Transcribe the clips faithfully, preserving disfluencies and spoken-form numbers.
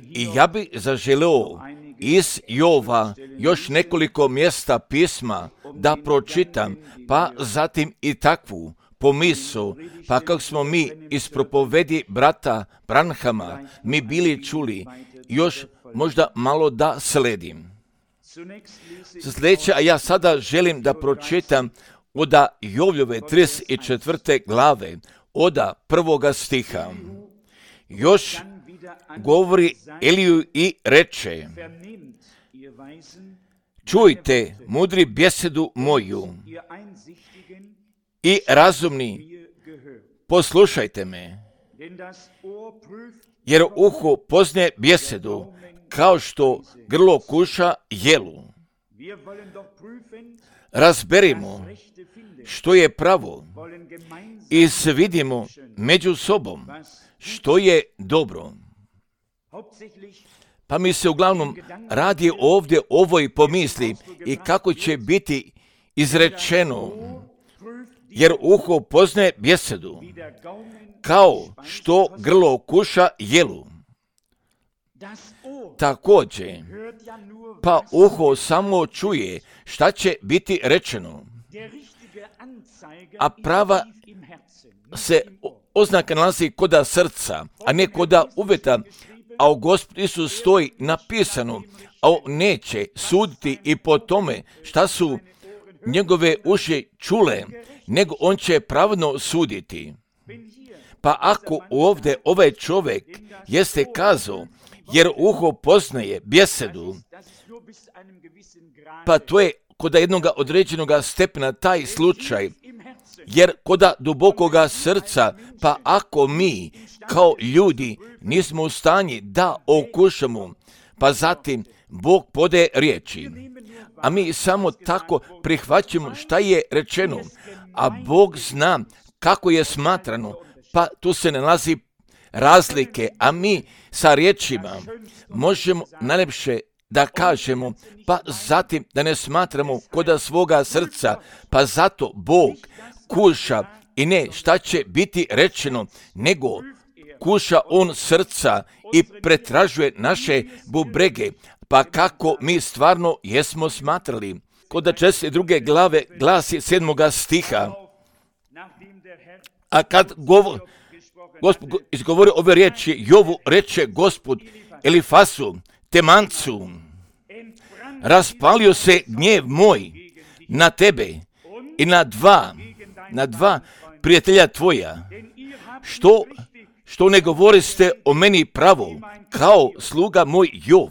I ja bi zaželeo iz Jova još nekoliko mjesta pisma da pročitam, pa zatim i takvu pomisao, pa kako smo mi iz propovedi brata Branhama mi bili čuli, još možda malo da sledim. Sljedeće, a ja sada želim da pročitam oda Jovljove trideset četvrte glave, oda prvoga stiha. Još govori Eliju i reče: čujte, mudri, bjesedu moju i razumni, poslušajte me, jer uho poznaje bjesedu, kao što grlo kuša jelu. Razberimo što je pravo i svidimo među sobom što je dobro. Pa mi se uglavnom radi ovdje ovoj pomisli i kako će biti izrečeno, jer uho poznaje bjesedu, kao što grlo kuša jelu. Također, pa uho samo čuje šta će biti rečeno, a prava se oznaka nalazi koda srca, a ne koda uvjeta, a u Gospod Isus stoji napisano, a on neće suditi i po tome šta su njegove uši čule, nego on će pravedno suditi. Pa ako ovdje ovaj čovjek jeste kazao, jer uho poznaje bjesedu, pa to je kod jednog određenog stepena taj slučaj, jer kod dubokoga srca, pa ako mi kao ljudi nismo u stanji da okušamo, pa zatim Bog podaje riječi, a mi samo tako prihvaćamo šta je rečeno, a Bog zna kako je smatrano, pa tu se nalazi razlike, a mi sa riječima možemo najljepše da kažemo, pa zatim da ne smatramo koda svoga srca, pa zato Bog kuša i ne šta će biti rečeno, nego kuša on srca i pretražuje naše bubrege, pa kako mi stvarno jesmo smatrali. Kod četrdeset druge glave glasi sedmoga stiha, a kad govor, Gospod izgovori ove riječi, Jovu reče Gospod Elifasu, Temancu, raspalio se gnjev moj na tebe i na dva, na dva prijatelja tvoja, što, što ne govoriste o meni pravo, kao sluga moj Jov.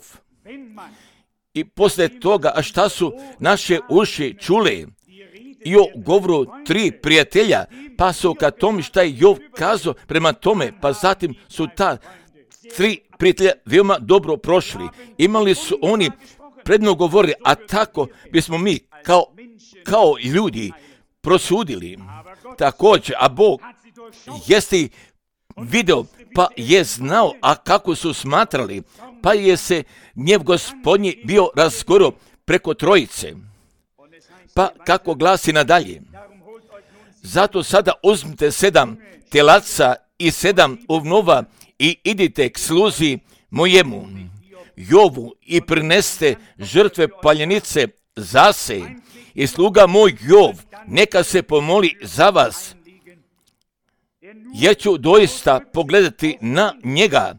I poslije toga, a šta su naše uši čule i o govoru tri prijatelja, pa su ka tome šta je Jov kazao prema tome, pa zatim su ta tri prijatelja veoma dobro prošli. Imali su oni predno govorili, a tako bismo mi kao, kao ljudi prosudili. Također, a Bog jeste video, pa je znao, a kako su smatrali, pa je se gnjev Gospodnji bio razgoro preko trojice. Pa kako glasi nadalje, zato sada uzmite sedam telaca i sedam ovnova i idite k sluzi mojemu Jovu i prineste žrtve paljenice zase i sluga moj Jov neka se pomoli za vas, jer ću doista pogledati na njega,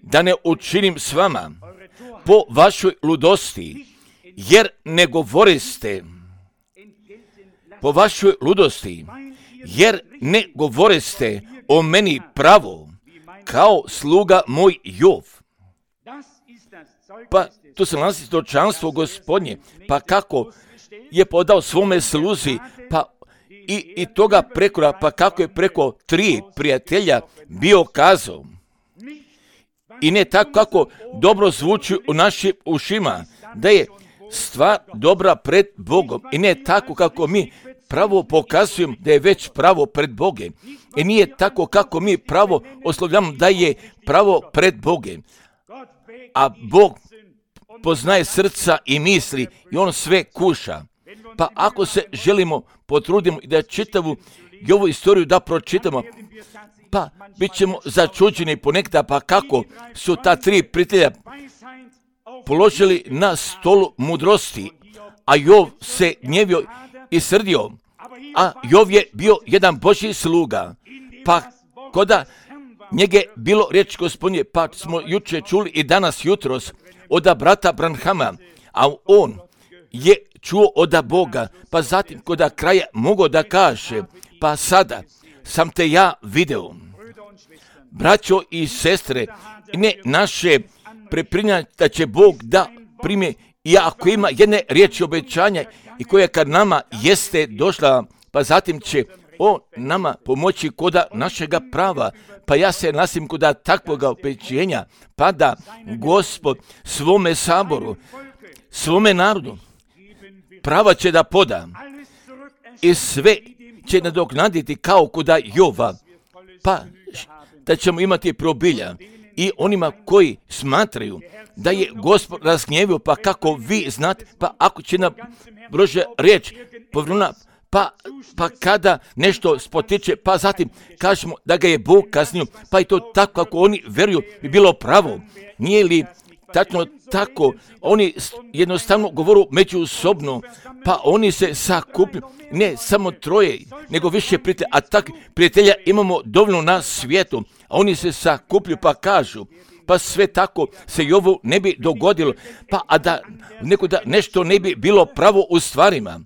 da ne učinim s vama po vašoj ludosti, jer ne govoriste po vašoj ludosti, jer ne govoriste o meni pravo, kao sluga moj Jov. Pa tu se nalazi svjedočanstvo Gospodnje, pa kako je podao svome sluzi, pa i, i toga prekora, pa kako je preko tri prijatelja bio kazao. I ne tako kako dobro zvuči u našim ušima, da je stvar dobra pred Bogom. I ne tako kako mi pravo pokazujemo da je već pravo pred Bogem. I nije tako kako mi pravo oslovljamo da je pravo pred Bogem. A Bog poznaje srca i misli i on sve kuša. Pa ako se želimo potrudimo i da čitavu i ovu istoriju da pročitamo, pa bit ćemo začuđeni ponekada, pa kako su ta tri prijatelja položili na stolu mudrosti, a Jov se gnjevio i srdio, a Jov je bio jedan Božji sluga, pa koda njege bilo riječ Gospodnje, pa smo juče čuli i danas jutros od brata Branhama, a on je čuo od Boga, pa zatim koda kraja mogao da kaže, pa sada sam te ja video. Braćo i sestre, ne naše preprinjanje da će Bog da prime, i ako ima jedne riječi obećanja i koja kad nama jeste došla, pa zatim će on nama pomoći koda našega prava. Pa ja se nasim koda takvoga obećenja, pa da Gospod svome saboru, svome narodu prava će da poda i sve će nadoknaditi kao koda Jova, pa da ćemo imati probilja. I onima koji smatraju da je Gospod razgnjevio, pa kako vi znate, pa ako će nam Božja riječ povrnula, pa, pa kada nešto spotiče, pa zatim kažemo da ga je Bog kaznio, pa i to tako kako oni veruju bi bilo pravo. Nije li tačno tako? Oni jednostavno govoru međusobno, pa oni se sakuplju, ne samo troje, nego više prijatelja, a tak prijatelja imamo dovoljno na svijetu, a oni se sakuplju pa kažu, pa sve tako se i ovo ne bi dogodilo, pa a da neko da nešto ne bi bilo pravo u stvarima.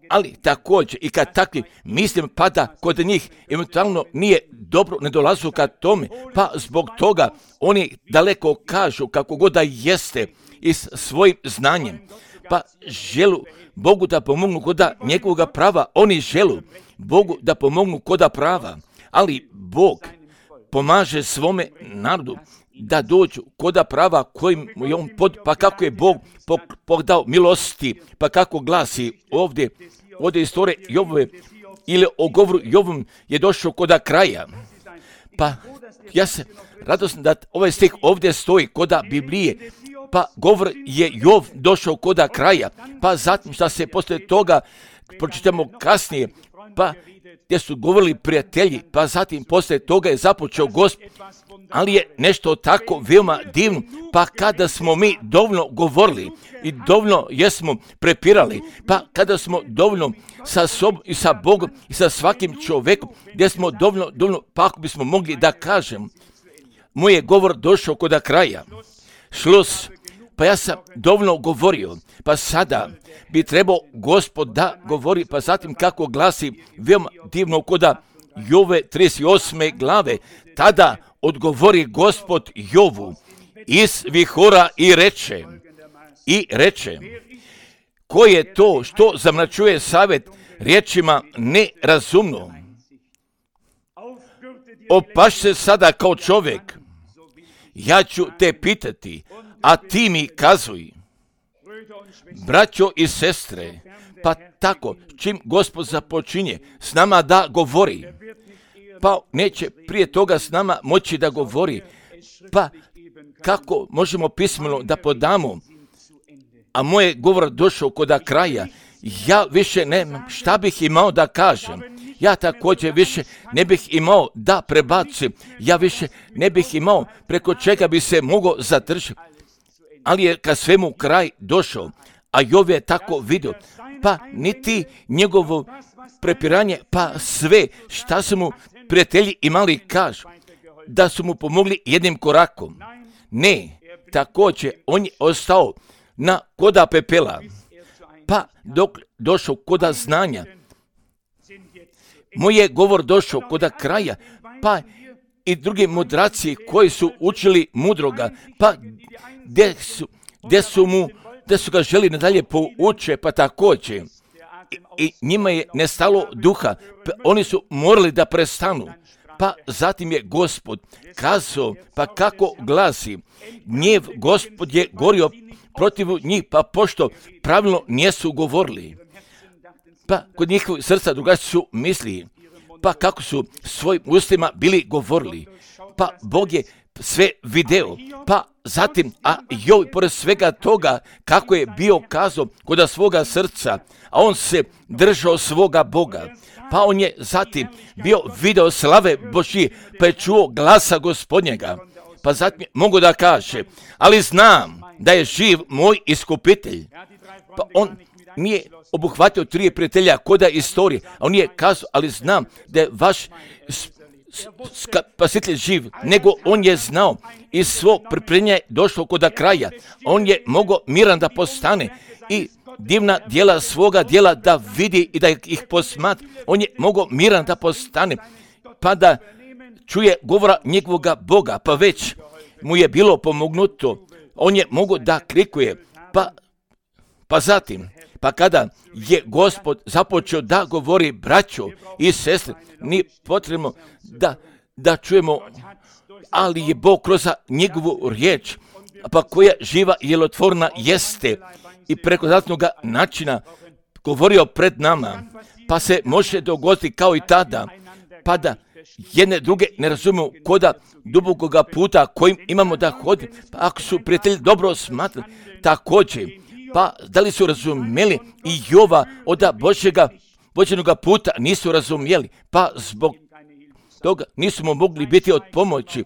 Ali također i kad takvi mislim, pa da kod njih eventualno nije dobro, ne dolazu ka tome, pa zbog toga oni daleko kažu kako god da jeste i s svojim znanjem, pa želu Bogu da pomognu koda njegovoga prava, oni želu Bogu da pomognu koda prava, ali Bog pomaže svome narodu da dođu koda prava kojim je on pod, pa kako je Bog podao milosti, pa kako glasi ovdje, ovdje istorije Jovove, ili o govoru Jovom je došao koda kraja. Pa ja se radosno da ovaj stih ovdje stoji koda Biblije, pa govor je Jov došao koda kraja, pa zatim šta se poslije toga pročitamo kasnije, pa gdje su govorili prijatelji, pa zatim poslije toga je započeo Gospod, ali je nešto tako veoma divno, pa kada smo mi dovoljno govorili i dovoljno jesmo prepirali, pa kada smo dovoljno sa sobom i sa Bogom i sa svakim čovjekom, gdje smo dovoljno, dovoljno, pa ako bismo mogli da kažem, moj je govor došao koda kraja, šlos, pa ja sam dovoljno govorio, pa sada bi trebao Gospod da govori, pa zatim kako glasi veoma divno koda Jove trideset osme glave, tada odgovori Gospod Jovu iz vihora i reče, i reče, ko je to što zamračuje savjet riječima nerazumno? Opaš se sada kao čovjek, ja ću te pitati, a ti mi kazuj. Braćo i sestre, pa tako, čim Gospod započinje s nama da govori, pa neće prije toga s nama moći da govori, pa kako možemo pismeno da podamo, a moj je govor došao koda kraja, ja više nemam šta bih imao da kažem, ja također više ne bih imao da prebacim, ja više ne bih imao preko čega bi se mogao zadržati, ali je kad svemu kraj došao, a Jov je tako vidio, pa niti njegovo prepiranje, pa sve šta su mu prijatelji imali kažu, da su mu pomogli jednim korakom. Ne, također on je ostao na koda pepela, pa dok došao koda znanja, moj je govor došao koda kraja, pa i drugi mudraci koji su učili mudroga, pa gdje su, gdje su mu, gdje su ga želi nadalje pouče, pa također I, i njima je nestalo duha, pa oni su morali da prestanu. Pa zatim je Gospod kazao, pa kako glasi, gnjev Gospod je gorio protiv njih, pa pošto pravilno nijesu govorili. Pa kod njihovih srca drugačije su mislili, pa kako su svojim ustima bili govorili. Pa Bog je sve video, pa zatim, a Jov pored svega toga kako je bio kazao kod svoga srca, a on se držao svoga Boga, pa on je zatim bio video slave Božije, pa je čuo glasa Gospodnjega, pa zatim mogu da kaže, ali znam da je živ moj iskupitelj. Pa on nije obuhvatio tri prijatelja koda istorije, a on je kazao, ali znam da je vaš spasitelj živ, nego on je znao iz svog pripremljenja došlo kod kraja. On je mogao miran da postane i divna djela svoga djela da vidi i da ih posmatra. On je mogao miran da postane, pa da čuje govora njegovoga Boga, pa već mu je bilo pomognuto. On je mogao da krikuje, pa, pa zatim, pa kada je Gospod započeo da govori braćo i sestre, nije potrebno da, da čujemo, ali je Bog kroz njegovu riječ, pa koja živa i djelotvorna jeste i preko zatnog načina govorio pred nama, pa se može dogoditi kao i tada, pa da jedne druge ne razumiju koda dubokoga puta kojim imamo da hodimo, pa ako su prijatelji dobro smatrali, također, pa da li su razumjeli i Jova od Božjega vođenoga puta nisu razumjeli, pa zbog toga nismo mogli biti od pomoći.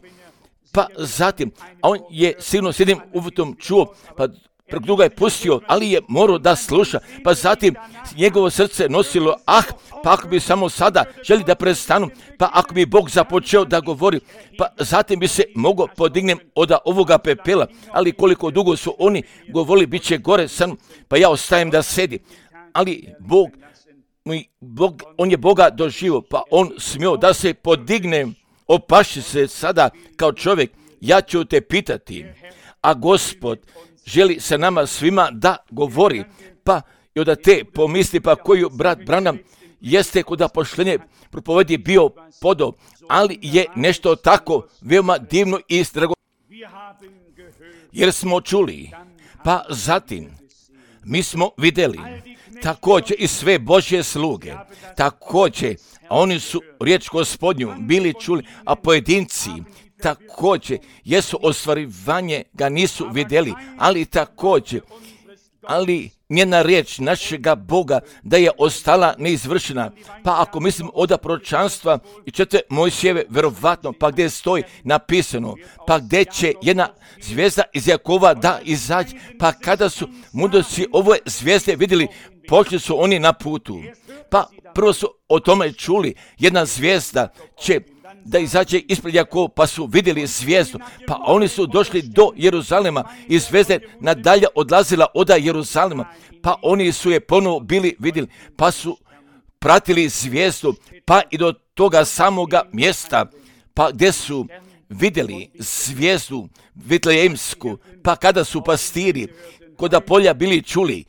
Pa zatim, a on je sigurno s jednim uvutom čuo, pa preko druga je pustio, ali je morao da sluša, pa zatim njegovo srce nosilo, ah, pa ako bi samo sada želi da prestanu, pa ako bi Bog započeo da govori, pa zatim bi se mogao podignem od ovoga pepela, ali koliko dugo su oni govorili, bit će gore sa mnom, pa ja ostajem da sedi, ali Bog, Bog on je Boga doživio, pa on smio da se podigne, opaši se sada kao čovjek, ja ću te pitati, a Gospod želi se nama svima da govori, pa i od te pomisli, pa koju brat Branham jeste kod poštenje propovedi bio podao, ali je nešto tako veoma divno i drago, jer smo čuli, pa zatim mi smo vidjeli također i sve Božje sluge, također, a oni su riječ Gospodnju bili čuli, a pojedinci također jesu ostvarivanje ga nisu vidjeli, ali također, ali njena riječ našega Boga da je ostala neizvršena. Pa ako mislim od proročanstva i čete Mojsijeve, verovatno, pa gdje stoji napisano, pa gdje će jedna zvijezda iz Jakova da izađe, pa kada su mudroci ove zvijezde vidjeli, počeli su oni na putu. Pa prvo su o tome čuli, jedna zvijezda će da izađe ispred Jakova, pa su vidjeli zvijezdu, pa oni su došli do Jeruzalema i zvijezda nadalje odlazila od Jeruzalema, pa oni su je ponovo bili vidjeli, pa su pratili zvijezdu, pa i do toga samoga mjesta, pa gdje su vidjeli zvijezdu Vitlejemsku, pa kada su pastiri koda polja bili čuli,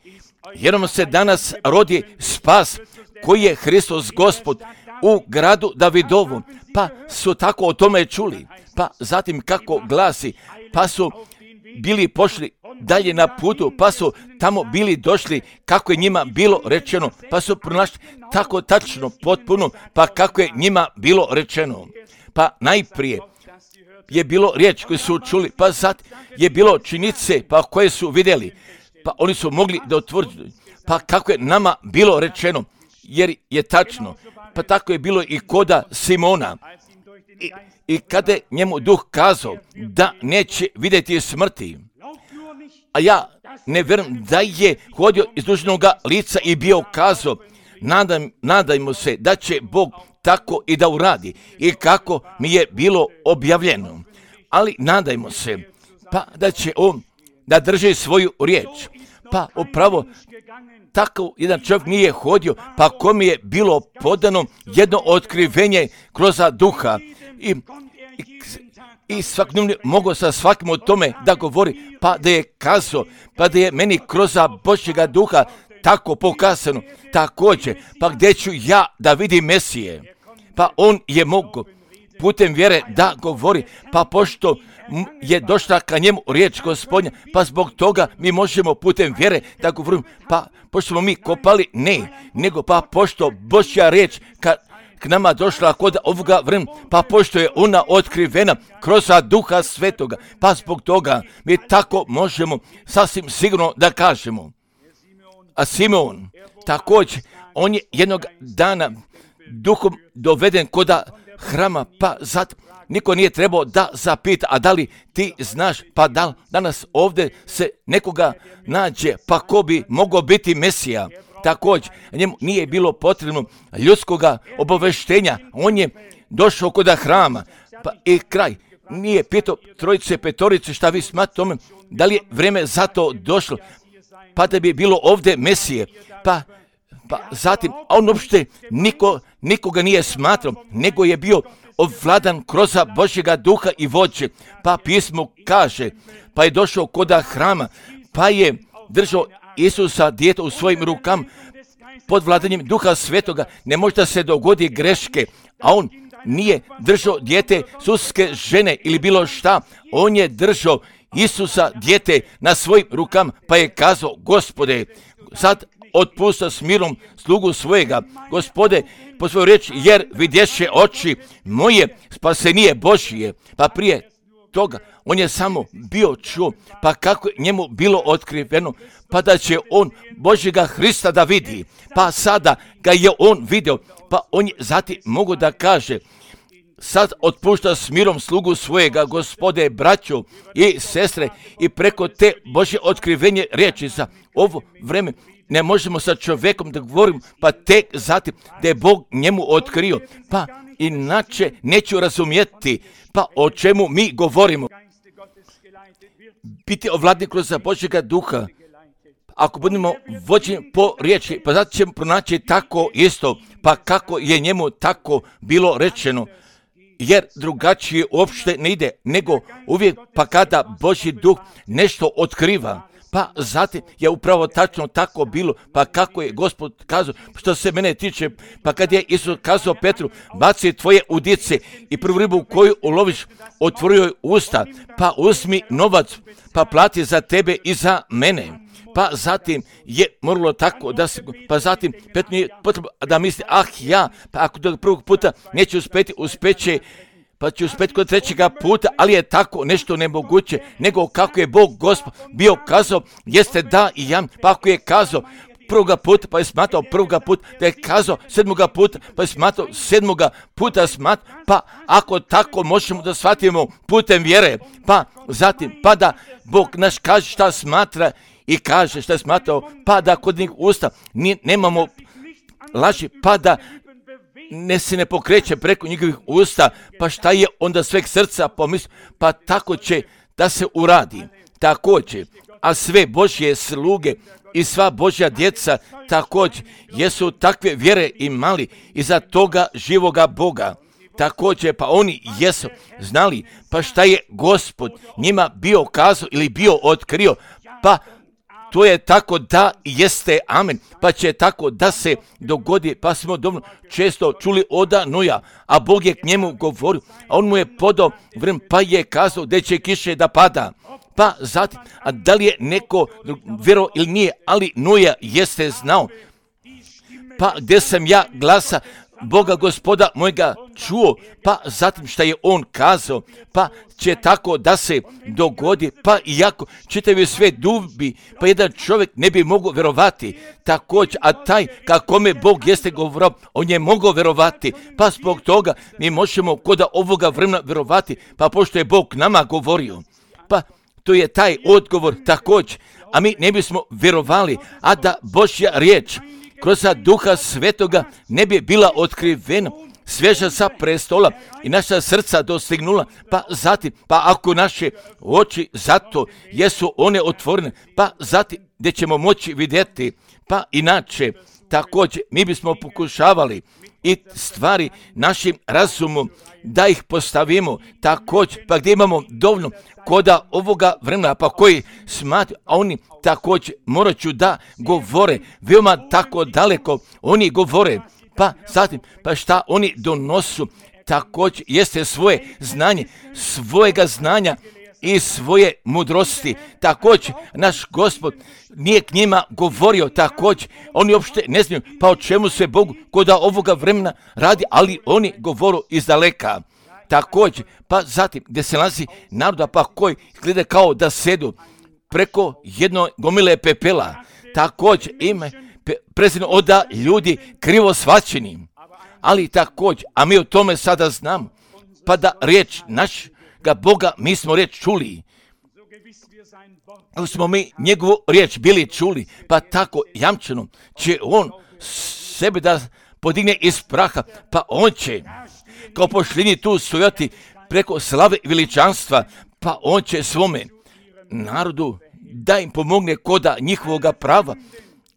jer nam se danas rodi spas koji je Hristos Gospod u gradu Davidovu, pa su tako o tome čuli, pa zatim kako glasi, pa su bili pošli dalje na putu, pa su tamo bili došli kako je njima bilo rečeno, pa su pronašli tako tačno, potpuno, pa kako je njima bilo rečeno. Pa najprije je bilo riječ koju su čuli, pa zatim je bilo činjenice pa koje su vidjeli, pa oni su mogli da otvrđuju, pa kako je nama bilo rečeno, jer je tačno, pa tako je bilo i koda Simona. I, i kada je njemu duh kazao da neće vidjeti smrti, a ja ne vjerujem da je hodio iz dužnoga lica i bio kazao, nadam, nadajmo se da će Bog tako i da uradi i kako mi je bilo objavljeno, ali nadajmo se pa da će on da drži svoju riječ, pa upravo tako jedan čovjek nije hodio, pa kome je bilo podano jedno otkrivenje kroz duha i, i, i svakodnevno mogao sa svakim o tome da govori, pa da je kazao, pa da je meni kroz Božjega duha tako pokazano, također, pa gdje ću ja da vidim Mesije, pa on je mogao putem vjere da govori, pa pošto je došla ka njemu riječ Gospodnja, pa zbog toga mi možemo putem vjere da govorimo, pa pošto smo mi kopali, ne, nego pa pošto Božja riječ ka, k nama došla kod ovoga vremena, pa pošto je ona otkrivena kroz Duha Svetoga, pa zbog toga mi tako možemo sasvim sigurno da kažemo. A Simeon, također, on je jednog dana duhom doveden koda hrama, pa zatim niko nije trebao da zapita, a da li ti znaš, pa da li danas ovdje se nekoga nađe, pa ko bi mogao biti Mesija. Također, njemu nije bilo potrebno ljudskoga obaveštenja, on je došao koda hrama, pa i kraj. Nije pitao trojice, petorice, šta vi smatrate tome, da li je vrijeme za to došlo, pa da bi bilo ovdje Mesije, pa, pa zatim, a on uopšte niko, nikoga nije smatrao, nego je bio ovladan kroz Božjega duha i vođe, pa pismo kaže, pa je došao koda hrama, pa je držao Isusa dijete u svojim rukama, pod vladanjem duha svetoga. Ne može da se dogodi greške, a on nije držao dijete suske žene ili bilo šta, on je držao Isusa dijete na svojim rukama, pa je kazao, Gospode, sad otpusta s mirom slugu svojega, Gospode, po svoju riječ, jer vidješe oči moje spasenije Božije. Pa prije toga on je samo bio čuo, pa kako njemu bilo otkriveno, pa da će on Božjega Hrista da vidi, pa sada ga je on vidio, pa on je zatim mogu da kaže, sad otpušta s mirom slugu svojega, Gospode, braćo i sestre, i preko te Božje otkrivenje riječi za ovo vreme ne možemo sa čovjekom da govorimo, pa tek zatim da je Bog njemu otkrio, pa inače neću razumjeti, pa o čemu mi govorimo. Biti ovladni kroz Božjega duha, ako budemo vođeni po riječi, pa zato ćemo pronaći tako isto, pa kako je njemu tako bilo rečeno, jer drugačije uopšte ne ide, nego uvijek pa kada Božji duh nešto otkriva, pa zatim je upravo tačno tako bilo, pa kako je Gospod kazao, što se mene tiče, pa kad je Isus kazao Petru, baci tvoje udice i prvu ribu koju uloviš, otvorio joj usta, pa uzmi novac, pa plati za tebe i za mene. Pa zatim je moralo tako da se, pa zatim Petru je potrebno da misli, ah ja, pa ako do prvog puta neće uspjeti, uspeće, pa će uspjeti kod trećega puta, ali je tako nešto nemoguće, nego kako je Bog Gospod bio kazao, jeste da i ja, pa ako je kazao prvoga puta, pa je smatrao prvoga puta, da je kazao sedmoga puta, pa je smatrao sedmoga puta smat, pa ako tako možemo da shvatimo putem vjere, pa zatim, pa da Bog naš kaže šta smatra i kaže šta je smatrao, pa da kod njih usta ni, nemamo laži, pa da ne se ne pokreće preko njihovih usta, pa šta je onda sveg srca pomisli, pa tako će da se uradi, također, a sve Božje sluge i sva Božja djeca također jesu takve vjere imali iza toga živoga Boga. Također, pa oni jesu znali, pa šta je Gospod njima bio kazao ili bio otkrio, pa to je tako da jeste, amen, pa će tako da se dogodi, pa smo dovoljno često čuli oda Noja, a Bog je k njemu govorio, a on mu je podao vrem, pa je kazao da će kiše da pada. Pa zatim, a da li je neko vjerovao ili nije, ali Noja jeste znao, pa gdje sam ja glasa Boga Gospoda mojega čuo, pa zatim šta je on kazao, pa će tako da se dogodi, pa iako čitavi sve dubi, pa jedan čovjek ne bi mogao vjerovati, također, a taj kakome Bog jeste govorio, on je mogao vjerovati, pa zbog toga mi možemo koda ovoga vremena vjerovati, pa pošto je Bog nama govorio, pa to je taj odgovor također, a mi ne bismo vjerovali, a da Božja riječ kroz duha svetoga ne bi bila otkrivena, svježa sa prestola i naša srca dostignula, pa zatim, pa ako naše oči zato jesu one otvorene, pa zatim gdje ćemo moći vidjeti, pa inače također mi bismo pokušavali i stvari našim razumom da ih postavimo također, pa gdje imamo dovoljno koda ovoga vremena, pa koji smatruju, a oni također morat ću da govore, veoma tako daleko oni govore, pa zatim, pa šta oni donosu, također jeste svoje znanje, svojega znanja i svoje mudrosti. Također, naš Gospod nije k njima govorio, također, oni uopšte ne znaju, pa o čemu se Bogu koda ovoga vremena radi, ali oni govoru iz daleka. Također, pa zatim, gdje se nalazi naroda, pa koji gleda kao da sedu preko jedno gomile pepela, također ima prezirno oda ljudi krivo svačeni, ali također, a mi o tome sada znamo, pa da riječ našega Boga, mi smo riječ čuli, ako smo mi njegovu riječ bili čuli, pa tako jamčeno će on sebe da podigne iz praha, pa on će kao pošlini tu stojati preko slave i veličanstva, pa on će svome narodu da im pomogne koda njihovoga prava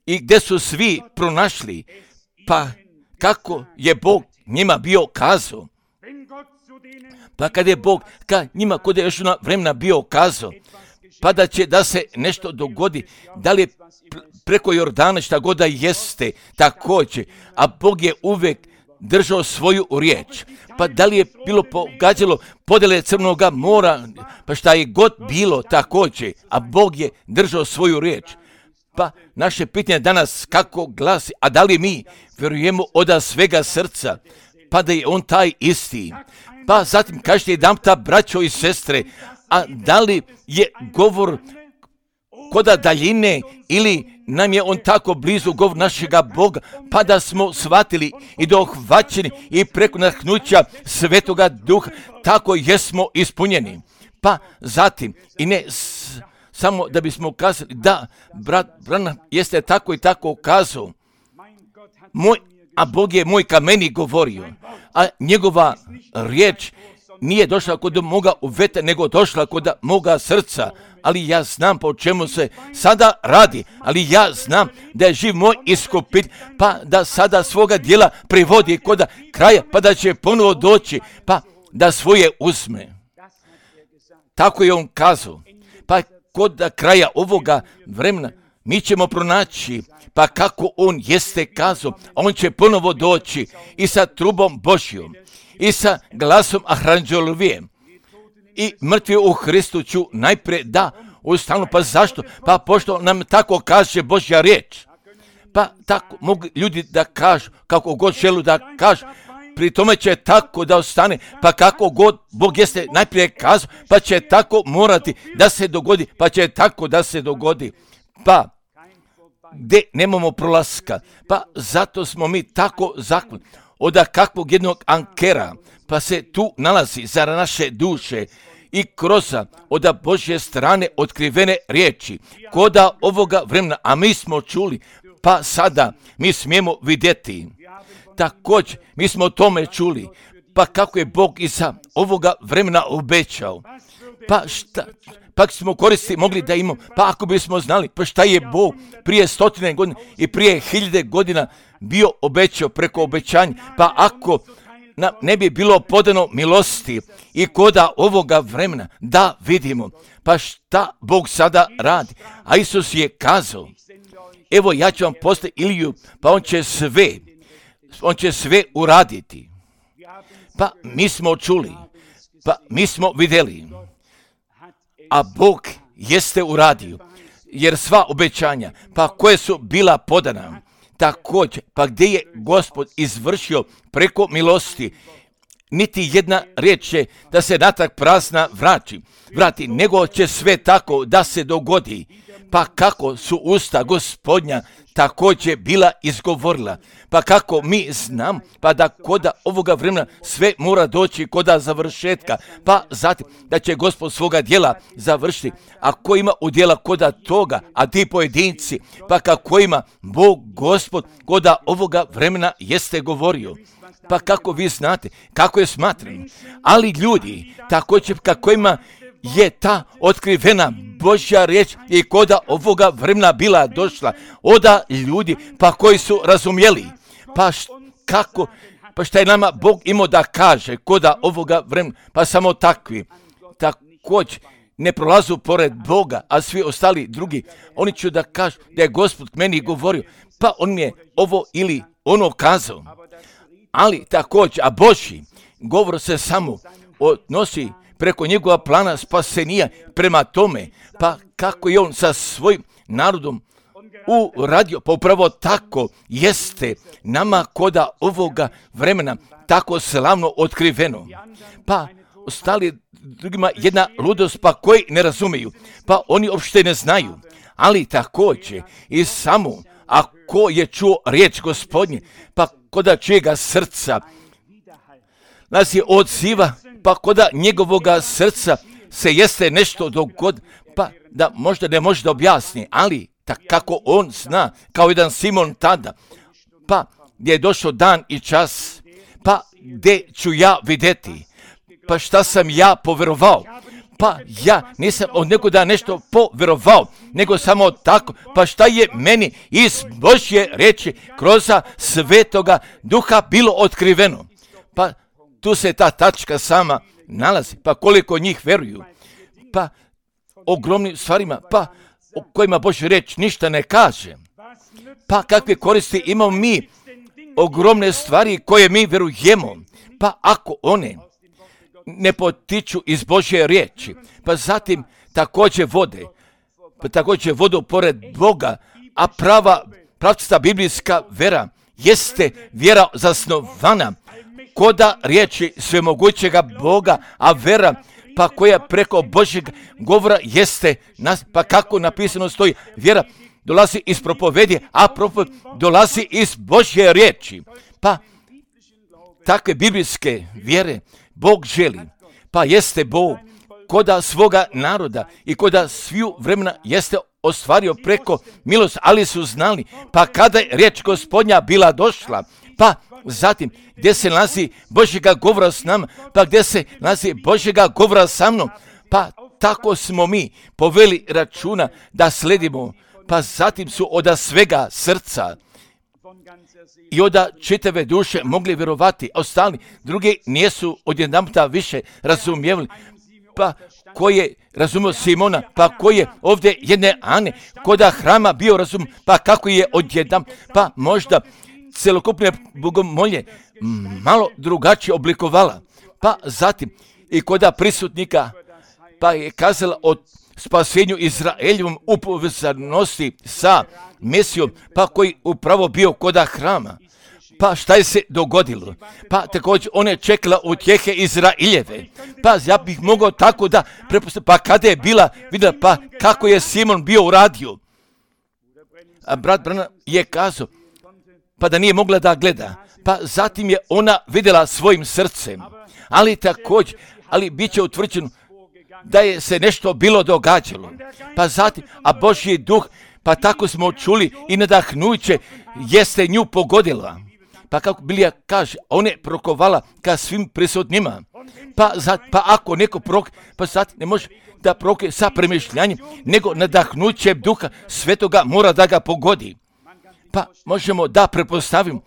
i gdje su svi pronašli, pa kako je Bog njima bio kazao. Pa kad je Bog ka njima kod je još na vremena bio kazao, pa da će da se nešto dogodi, da li je preko Jordana šta god da jeste, također, a Bog je uvijek držao svoju riječ. Pa da li je bilo pogađalo podjele Crnoga mora, pa šta je god bilo također, a Bog je držao svoju riječ. Pa naše pitanje danas kako glasi, a da li mi vjerujemo od svega srca, pa da je on taj isti. Pa zatim kažete jedan ta braćo i sestre, a da li je govor koda daljine ili nam je on tako blizu govor našega Boga, pa da smo shvatili i dohvaćeni i preko nahnuća Svetoga Duha, tako jesmo ispunjeni. Pa zatim, i ne s, samo da bismo kazali, da, brat Branham jeste tako i tako kazao, moj, a Bog je moj ka meni govorio, a njegova riječ nije došla kod moga uveta, nego došla kod moga srca. Ali ja znam po čemu se sada radi, ali ja znam da je živ moj iskupitelj, pa da sada svoga djela privodi kod kraja, pa da će ponovo doći, pa da svoje uzme. Tako je on kazao. Pa kod kraja ovoga vremena mi ćemo pronaći, pa kako on jeste kazao, on će ponovo doći i sa trubom Božjom, i sa glasom Aranđelovijem, i mrtvi u Hristu ću najprije da ustanu. Pa zašto? Pa pošto nam tako kaže Božja riječ. Pa tako mogu ljudi da kažu, kako god želu da kažu, pri tome će tako da ostane, pa kako god Bog jeste najprije kazao, pa će tako morati da se dogodi, pa će tako da se dogodi. Pa gdje nemamo prolaska, pa zato smo mi tako zakloni od kakvog jednog ankera, pa se tu nalazi za naše duše i kroz od Božje strane otkrivene riječi, koda ovoga vremena, a mi smo čuli, pa sada mi smijemo vidjeti. Također, mi smo o tome čuli, pa kako je Bog iza ovoga vremena obećao. Pa šta, pa smo koristi mogli da imamo, pa ako bismo znali, pa šta je Bog prije stotine godina i prije hiljade godina bio obećao preko obećanja, pa ako nam ne bi bilo podano milosti i koda ovoga vremena da vidimo, pa šta Bog sada radi. A Isus je kazao, evo ja ću vam poslati Iliju, pa on će sve, on će sve uraditi. Pa mi smo čuli, pa mi smo vidjeli, a Bog jeste uradio, jer sva obećanja, pa koje su bila podana, također, pa gdje je Gospod izvršio preko milosti, niti jedna riječ će da se natrag prazna vrati, vrati, nego će sve tako da se dogodi. Pa kako su usta Gospodnja također bila izgovorila, pa kako mi znam, pa da koda ovoga vremena sve mora doći koda završetka, pa zatim da će Gospod svoga djela završiti, a ko ima udjela koda toga, a ti pojedinci, pa kako ima Bog Gospod koda ovoga vremena jeste govorio. Pa kako vi znate, kako je smatrano, ali ljudi također kako ima je ta otkrivena Božja riječ i koda ovoga vremena bila došla oda ljudi pa koji su razumjeli. Pa št, kako, pa šta je nama Bog imao da kaže koda ovoga vremena, pa samo takvi. Također ne prolazu pored Boga, a svi ostali drugi, oni će da kažu da je Gospod meni govorio, pa on mi je ovo ili ono kazao. Ali također, a Božji govor se samo odnosi preko njegova plana spasenija prema tome, pa kako je on sa svojim narodom uradio, pa upravo tako jeste nama koda ovoga vremena tako slavno otkriveno. Pa ostali drugima jedna ludost, pa koji ne razumiju, pa oni uopšte ne znaju, ali također i samo ako je čuo riječ Gospodnje, pa koda čijega srca nas je odziva, pa koda njegovoga srca se jeste nešto dogod, pa da možda ne može da objasni, ali tak kako on zna, kao jedan Simon tada, pa gdje je došao dan i čas, pa gdje ću ja vidjeti, pa šta sam ja povjerovao, pa ja nisam od nekoga nešto povjerovao, nego samo tako, pa šta je meni iz Božje riječi kroz Svetoga Duha bilo otkriveno, pa tu se ta tačka sama nalazi, pa koliko njih vjeruju, pa ogromnim stvarima, pa o kojima Božja riječ ništa ne kaže, pa kakve koristi imamo mi, ogromne stvari koje mi vjerujemo, pa ako one ne potiču iz Božje riječi, pa zatim također vode, pa također vodu pored Boga, a prava, pravcata biblijska vera jeste vjera zasnovana koda riječi svemogućega Boga, a vera pa koja preko Božjeg govora jeste, nas, pa kako napisano stoji, vjera dolazi iz propovedi, a propoved dolazi iz Božje riječi. Pa takve biblijske vjere Bog želi, pa jeste Bog koda svoga naroda i koda sviju vremena jeste ostvario preko milosti, ali su znali, pa kada je riječ Gospodnja bila došla, pa zatim gdje se nalazi Božjega govora s nama, pa gdje se nalazi Božjega govora sa mnom, pa tako smo mi poveli računa da sledimo, pa zatim su od svega srca i od čitave duše mogli vjerovati, a ostali drugi nisu odjedanputa više razumijevali, pa ko je razumio Simona, pa ko je ovdje jedne Ane, koda hrama bio razum, pa kako je odjedam, pa možda celokupne bogomolje malo drugačije oblikovala, pa zatim i koda prisutnika, pa je kazala o spasenju Izraeljevom u povezanosti sa Mesijom, pa koji upravo bio koda hrama. Pa šta je se dogodilo? Pa također ona je čekala utjehe Izraeljeve. Pa ja bih mogao tako da prepostavim, pa kada je bila vidjela, pa kako je Simon bio uradio. A brat Branham je kazao, pa da nije mogla da gleda. Pa zatim je ona vidjela svojim srcem. Ali također, ali bit će utvrđeno da je se nešto bilo događalo. Pa zatim, a Božji duh, pa tako smo čuli i nadahnuće jeste nju pogodila. Pa kako Bilija kaže, ona je prokovala ka svim prisutnima. Pa, za, pa ako neko prok, pa sad ne može da proke sa premišljanjem, nego nadahnuće duha svetoga mora da ga pogodi. Pa možemo da prepostavimo,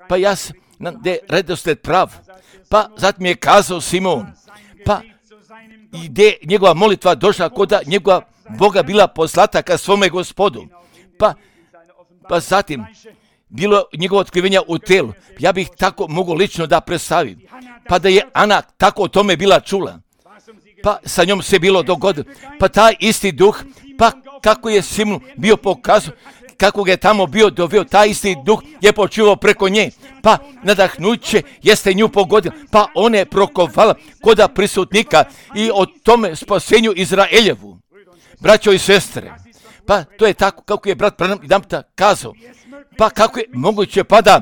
pa ja sam, da je redosled prav. Pa zatim je kazao Simon, pa gdje njegova molitva došla koda njegova Boga bila poslata ka svome Gospodu. Pa, pa zatim bilo njegovo otkrivenja u telu. Ja bih tako mogu lično da predstavim. Pa da je Ana tako o tome bila čula. Pa sa njom se bilo dogodilo. Pa taj isti duh, pa kako je Simon bio pokazao, kako ga je tamo bio doveo, taj isti duh je počivao preko nje. Pa nadahnuće jeste nju pogodilo. Pa ona je prokovala koda prisutnika i o tome spasenju Izraeljevu. Braćo i sestre, pa to je tako kako je brat Branham jedanputa kazao. Pa kako je moguće pa da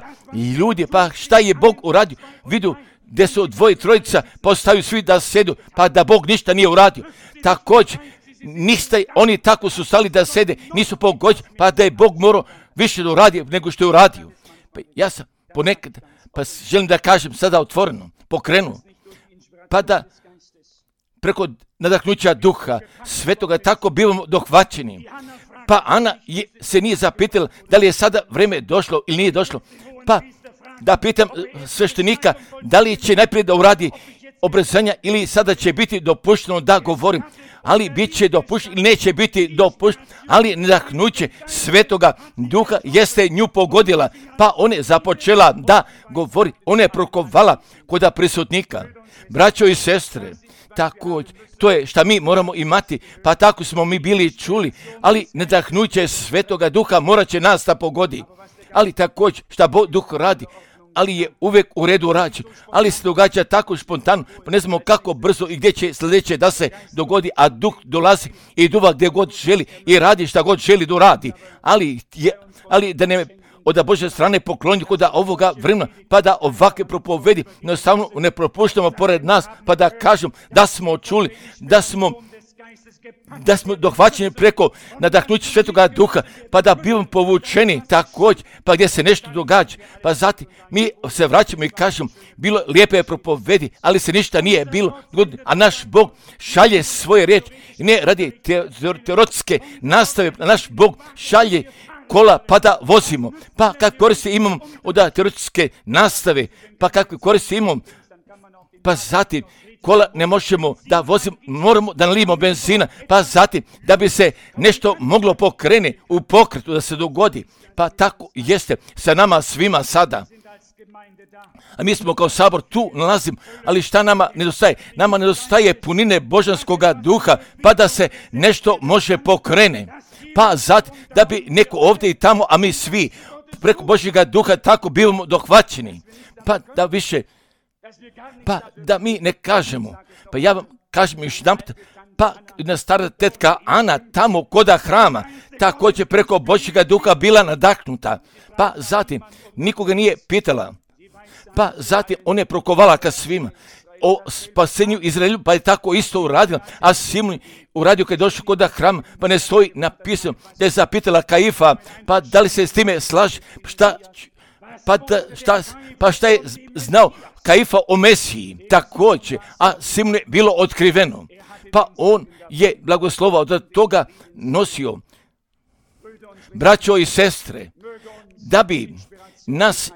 ljudi, pa šta je Bog uradio, vidu gdje su dvoje trojica, postaju svi da sjedu, pa da Bog ništa nije uradio. Također, niste, oni tako su stali da sede, nisu pogođeni, pa da je Bog morao više da uradi nego što je uradio. Pa ja sam ponekad, pa želim da kažem sada otvoreno, pokrenuo, pa da preko nadahnuća duha svetoga tako bivamo dohvaćeni. Pa Ana je, se nije zapitala da li je sada vrijeme došlo ili nije došlo. Pa da pitam sveštenika da li će najprije da uradi obrezanja ili sada će biti dopušteno da govorim. Ali bit će dopušteno ili neće biti dopušteno, ali nadahnuće svetoga duha jeste nju pogodila. Pa ona je započela da govori, ona je prokovala koda prisutnika. Braćo i sestre, tako, to je šta mi moramo imati, pa tako smo mi bili čuli, ali nadahnuće svetoga duha morat će nas da pogodi. Ali također šta Bog duh radi, ali je uvijek u redu rađen, ali se događa tako spontano, pa ne znamo kako brzo i gdje će sljedeće da se dogodi, a duh dolazi i duva gdje god želi i radi šta god želi da radi. Ali, je, ali da ne od Božje strane pokloniti kod ovoga vremena, pa da ovakve propovedi jednostavno ne propuštamo pored nas, pa da kažem da smo čuli, da smo da smo dohvaćeni preko nadahnuća Svetoga Duha, pa da bivamo povučeni također, pa gdje se nešto događa. Pa zatim mi se vraćamo i kažemo, bilo lijepe propovedi, ali se ništa nije bilo, a naš Bog šalje svoje riječi i ne radi teoretske nastave, naš Bog šalje kola pa da vozimo. Pa kakve koristi imamo od teoretske nastave, pa kakve koristi imamo, pa zatim kola ne možemo da vozimo, moramo da nalijemo benzina, pa zatim da bi se nešto moglo pokrenuti u pokretu, da se dogodi. Pa tako jeste sa nama svima sada. A mi smo kao sabor tu nalazimo, ali šta nama nedostaje? Nama nedostaje punine Božanskoga duha, pa da se nešto može pokrene. Pa zatim da bi neko ovdje i tamo, a mi svi preko Božjega duha tako bivamo dohvaćeni. Pa da više Pa da mi ne kažemo, pa ja vam kažem još jedan put, pa na stara tetka Ana tamo koda hrama, također preko Božjega duha bila nadahnuta, pa zatim nikoga nije pitala, pa zatim on je prokovala ka svima o spasenju Izraelju, pa je tako isto uradila, a Simon uradio kad je došao koda hrama, pa ne stoji napisano da je zapitala Kaifa, pa da li se s time slaže, šta, pa, da, šta, pa šta je znao Kaifa o Mesiji također, a Simonu je bilo otkriveno. Pa on je blagoslovao da toga nosio. Braćo i sestre, da bi nas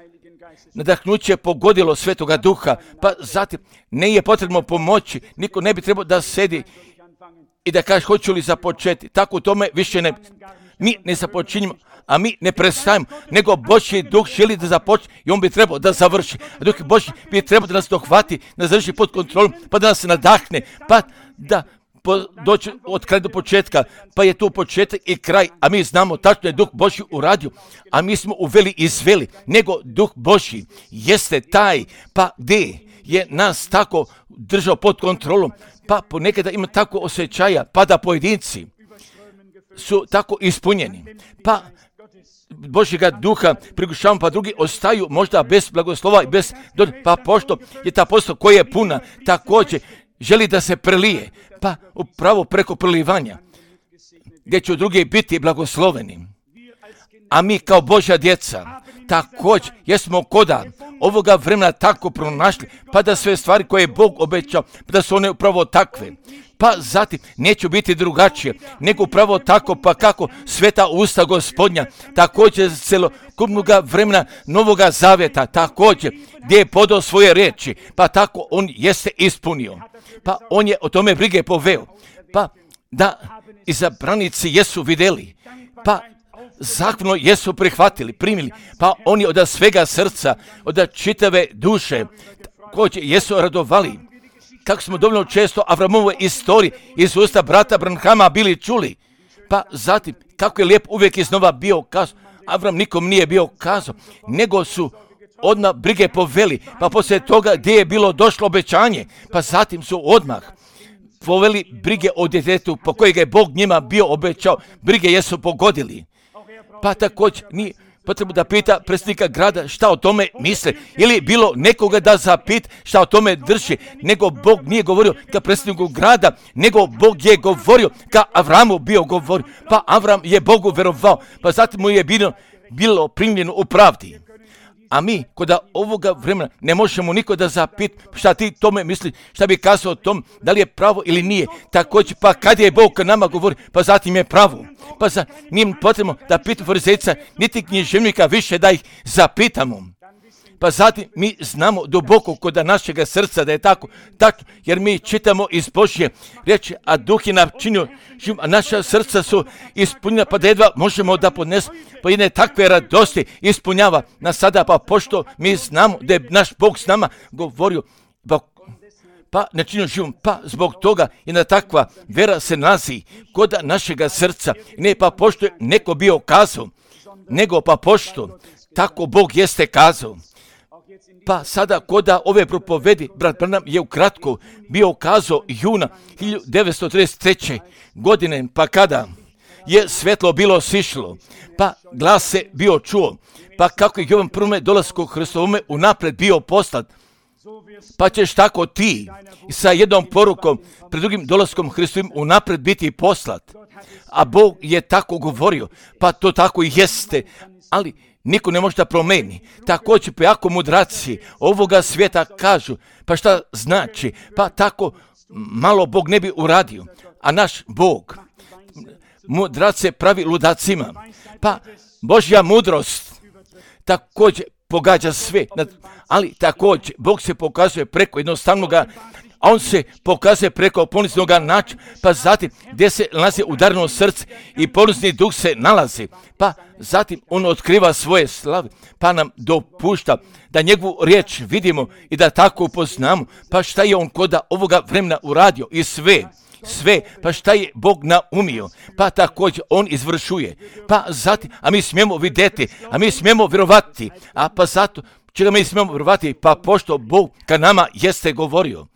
nadahnuće pogodilo Svetoga Duha, pa zatim ne je potrebno pomoći, niko ne bi trebao da sedi i da kaže hoću li započeti. Tako u tome više ne, mi ne započinjemo, a mi ne prestajemo, nego Božji duh želi da započne i on bi trebao da završi. A Duh Božji bi trebao da nas dohvati, da nas drži pod kontrolom, pa da nas nadahne, pa da po, doći od kraja do početka, pa je tu početak i kraj, a mi znamo tačno je Duh Božji uradio, a mi smo uveli i izveli, nego Duh Božji jeste taj, pa gdje je nas tako držao pod kontrolom, pa ponekada ima tako osjećaja, pa da pojedinci su tako ispunjeni, pa Božjega duha prigušavamo, pa drugi ostaju možda bez blagoslova i bez dođe, pa pošto je ta posto koja je puna, također želi da se prelije, pa upravo preko prelivanja, gdje će drugi biti blagosloveni. A mi kao Božja djeca, također jesmo koda ovoga vremena tako pronašli, pa da sve stvari koje je Bog obećao, pa da su one upravo takve. Pa zatim neće biti drugačije, nego upravo tako, pa kako sveta usta Gospodnja, također celokupnoga vremena Novoga Zavjeta, također gdje je podao svoje riječi, pa tako on jeste ispunio. Pa on je o tome brige poveo, pa da izabranici jesu vidjeli, pa zahvalno jesu prihvatili, primili, pa oni od svega srca, od čitave duše, također jesu radovali. Kako smo dovoljno često Avramove istorije iz usta brata Branhama bili čuli, pa zatim kako je lijep uvijek iznova bio kazao, Avram nikom nije bio kazao, nego su odmah brige poveli, pa poslije toga gdje je bilo došlo obećanje, pa zatim su odmah poveli brige o djetetu po kojeg je Bog njima bio obećao, brige jesu pogodili. Pa također nije potrebno da pita predsjednika grada šta o tome misle, ili bilo nekoga da zapita šta o tome drži, nego Bog nije govorio ka predsjedniku grada, nego Bog je govorio ka Avramu bio govorio, pa Avram je Bogu verovao, pa zatim mu je bilo, bilo primljeno u pravdi. A mi kod ovoga vremena ne možemo niko da zapita šta ti tome misli, šta bi kazao o tom, da li je pravo ili nije. Također, pa kad je Bog nama govori, pa zatim je pravo. Pa za, nije potrebno da pitamo farizejca, niti književnika više da ih zapitamo. Pa zatim mi znamo duboko kod našega srca da je tako, tako, jer mi čitamo iz Božje riječi, a Duh je načinio život, a naša srca su ispunjena, pa da jedva možemo da podnesemo, pa jedne takve radosti ispunjava nas sada, pa pošto mi znamo da je naš Bog s nama govorio, pa, pa načinio život, pa zbog toga jedna takva vera se nalazi kod našega srca, ne pa pošto je neko bio kazao, nego pa pošto tako Bog jeste kazao. Pa sada koda ove propovedi, brat Branham je ukratko bio kazao juna hiljadu devetsto trideset treće. godine, pa kada je svetlo bilo sišlo, pa glas se bio čuo, pa kako je Jovan prvome dolasku Hristovome unaprijed bio poslat, pa ćeš tako ti sa jednom porukom pred drugim dolaskom Hristovim unaprijed biti poslat. A Bog je tako govorio, pa to tako i jeste, ali niko ne može da promeni. Također pa jako mudraci ovoga svijeta kažu, pa šta znači, pa tako malo Bog ne bi uradio, a naš Bog mudrace pravi ludacima, pa Božja mudrost također pogađa sve, ali također Bog se pokazuje preko jednostavnoga, a on se pokazuje preko poniznoga načina, pa zatim gdje se nalazi udarno srce i ponizni duh se nalazi, pa zatim on otkriva svoje slave, pa nam dopušta da njegovu riječ vidimo i da tako upoznamo, pa šta je on koda ovoga vremena uradio i sve, sve, pa šta je Bog naumio, pa također on izvršuje, pa zatim, a mi smijemo vidjeti, a mi smijemo vjerovati, a pa zato čega mi smijemo vjerovati, pa pošto Bog ka nama jeste govorio.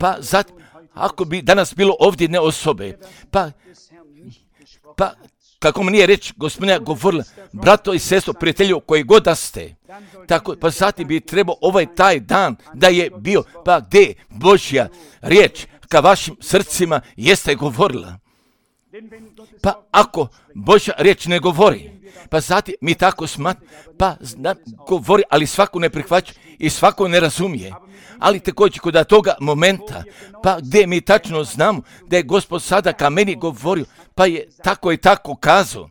Pa zatim, ako bi danas bilo ovdje jedne osobe, pa, pa kako mi nije reći gospodina govorila, brato i sestro, prijatelju, koji god da ste, tako, pa zatim bi trebao ovaj taj dan da je bio, pa gdje Božja riječ ka vašim srcima jeste govorila. Pa ako Božja riječ ne govori, pa zatim mi tako smatramo, pa zna, govori, ali svako ne prihvaća i svako ne razumije. Ali također kod toga momenta, pa gdje mi tačno znamo da je Gospod sada ka meni govorio, pa je tako i tako kazao,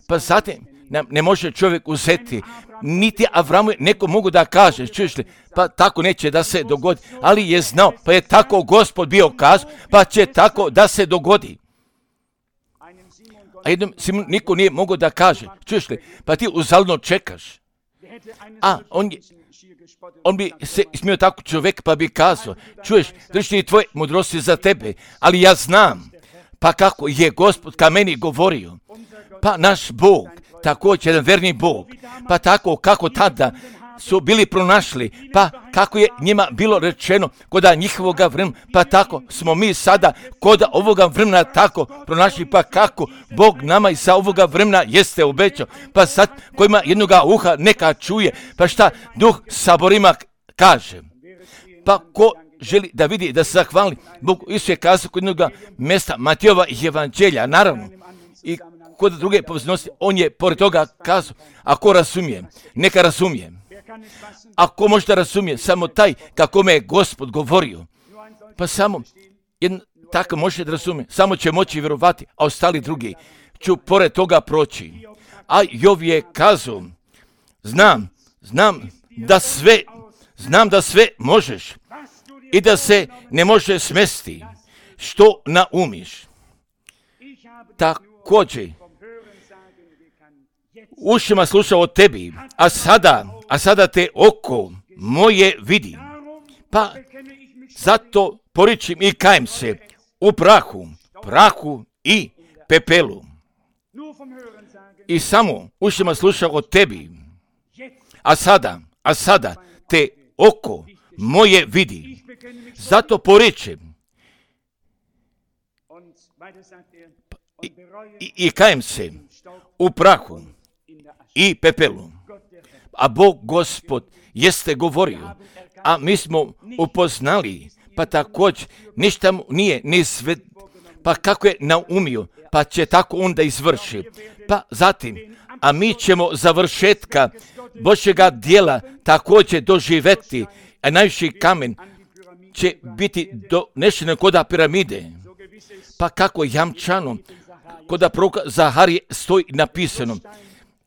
pa zatim ne može čovjek uzeti, niti Avramu neko mogu da kaže, čuješ li, pa tako neće da se dogodi, ali je znao, pa je tako Gospod bio kazao, pa će tako da se dogodi. A jednom Simon niko nije mogao da kaže, čuješ li, pa ti uzaludno čekaš. A on, je, on bi se smio tako čovjek pa bi kazao, čuješ, drži tvoje mudrosti za tebe, ali ja znam, pa kako je Gospod ka meni govorio, pa naš Bog, također jedan verni Bog, pa tako kako tada su bili pronašli, pa kako je njima bilo rečeno koda njihovoga vremena, pa tako smo mi sada koda ovoga vremena tako pronašli, pa kako Bog nama i sa ovoga vremena jeste obećao, pa sad kojima jednoga uha neka čuje, pa šta Duh saborima kaže, pa ko želi da vidi, da se zahvali Bog, Isus je kazao kod jednoga mjesta Matijova evanđelja, naravno, i kod druge poveznosti, on je pored toga kazao, ako razumije, neka razumije. Ako možda razumije, samo taj kako me je Gospod govorio, pa samo jedan tako može da razumije, samo će moći vjerovati, a ostali drugi ću pored toga proći. A Jov je kazao, znam, znam da sve, znam da sve možeš i da se ne može smesti što naumiš. Također, ušima slušao o tebi, a sada, a sada te oko moje vidi. Pa zato poričim i kajem se u prahu, prahu i pepelu. I samo ušima slušao o tebi, a sada, a sada te oko moje vidi. Zato poričim i, i, i kajem se u prahu i pepelu. A Bog Gospod jeste govorio, a mi smo upoznali, pa također ništa mu nije ni sve, pa kako je naumio, pa će tako onda izvrši. Pa zatim, a mi ćemo završetka Božjega dijela također doživjeti, a najviši kamen će biti donešen koda piramide. Pa kako jamčano, koda proroka Zaharije stoji napisano,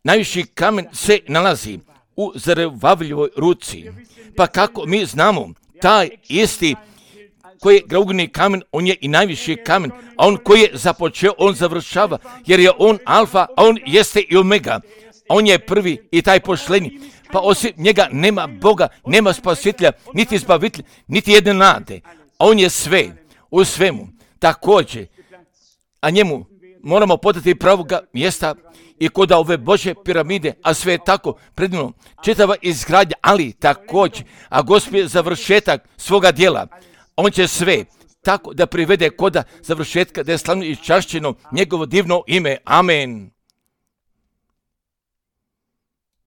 najviši kamen se nalazi u Zerubabeljeovoj ruci. Pa kako mi znamo, taj isti koji je graugni kamen, on je i najviši kamen, a on koji je započeo, on završava, jer je on alfa, a on jeste i omega. On je prvi i taj posljednji. Pa osim njega nema Boga, nema spasitelja, niti izbavitelja, niti jedne nade. A on je sve, u svemu, također. A njemu moramo podati pravoga mjesta i kod ove Božje piramide, a sve je tako predivno, čitava izgradnja, ali također, a Gospod je završetak svoga djela. On će sve tako da privede koda završetka, da je slavno i čašćeno njegovo divno ime. Amen.